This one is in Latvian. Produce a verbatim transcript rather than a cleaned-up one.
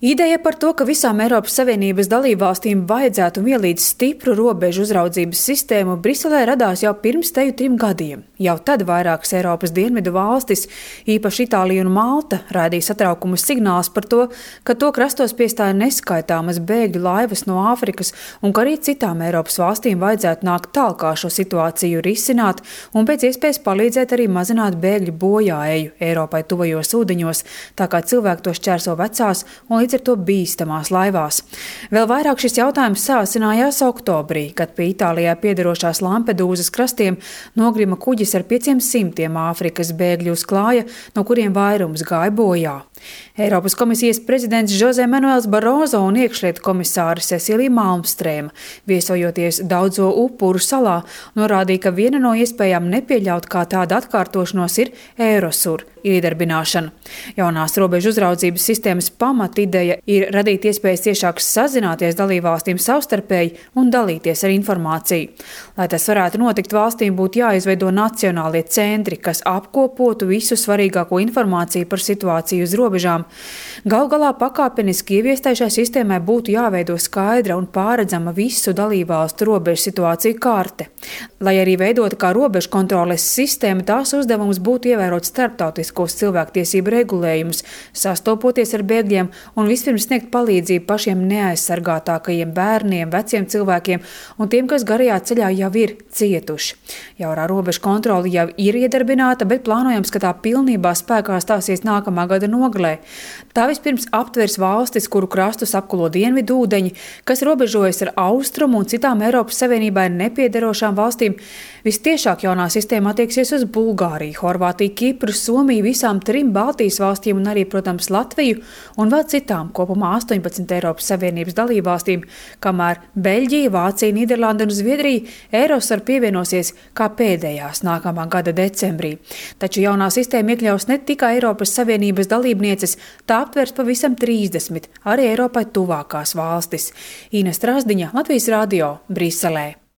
Ideja par to, ka visām Eiropas Savienības dalībvalstīm vajadzētu un ielīdz stipru robežu uzraudzības sistēmu, Briselē radās jau pirms teju trim gadiem. Jau tad vairākas Eiropas dienvidu valstis, īpaši Itālija un Malta, raidīja satraukumu signālus par to, ka to krastos piestāja neskaitāmas bēgļu laivas no Āfrikas un ka arī citām Eiropas valstīm vajadzētu nākt tālāk šo situāciju risināt un pēc iespējas palīdzēt arī mazināt bēgļu bojāeju Eiropai tuvajos ūdeņos, tā kā cilvēki to šķērso vecās un līdz ar to bīstamās laivās. Vēl vairāk šis jautājums sāsinājās oktobrī, kad pie Itālijā piederošās Lampedūzas krastiem nogrima kuģis ar pieciem simtiem Āfrikas bēgļu uz klāja, no kuriem vairums gāja bojā. Eiropas komisijas prezidents Jose Manuels Barroso un iekšlietu komisāra Cecilija Malmstrēma, viesojoties Daudzo upuru salā, norādīja, ka viena no iespējām nepieļaut kā tāda atkārtošanos ir Eirosur iedarbināšana. Jaunās robežu uzraudzības sistēmas pamatideja ir radīt iespējas ciešāk sazināties dalībvalstīm savstarpēji un dalīties ar informāciju. Lai tas varētu notikt, valstīm būtu jāizveido nacionālie centri, kas apkopotu visu svarīgāko informāciju par situāciju uz robežām. Galu galā pakāpeniski ieviestai šai sistēmai būtu jāveido skaidra un pārredzama visu dalībvalstu robežu situāciju karte. Lai arī veidota kā robežu kontroles sistēma, tās uzdevums būtu ievērot starptautiskos cilvēktiesību regulējumus, sastopoties ar bēgļiem un vispirms sniegt palīdzību pašiem neaizsargātākajiem bērniem, veciem cilvēkiem un tiem, kas garajā ceļā jau ir cietuši. Jaunā robežu kontrole jau ir iedarbināta, bet plānojams, ka tā pilnībā spēkā stāsies nākamā gada nogalē. Tā vispirms aptvers valstis, kuru krastus apkulo dienvidu ūdeņi, kas robežojas ar Austrumu un citām Eiropas Savienībai nepiederošām valstīm. Vistiešāk jaunā sistēma attieksies uz Bulgāriju, Horvātiju, Kipru, Somiju, visām trim Baltijas valstīm un arī, protams, Latviju un vēl citām kopumā astoņpadsmit Eiropas Savienības dalībvalstīm, kamēr Beļģija, Vācija, Nīderlanda un Zviedrija Eirosur pievienosies kā pēdējās nākamā gada decembrī. Taču jaunā sistēma iekļaus ne tikai Eiropas Savienības dalībnieces, tā aptvers pavisam trīsdesmit arī Eiropai tuvākās valstis. Ines Trasdiņa, Latvijas radio, Briselē.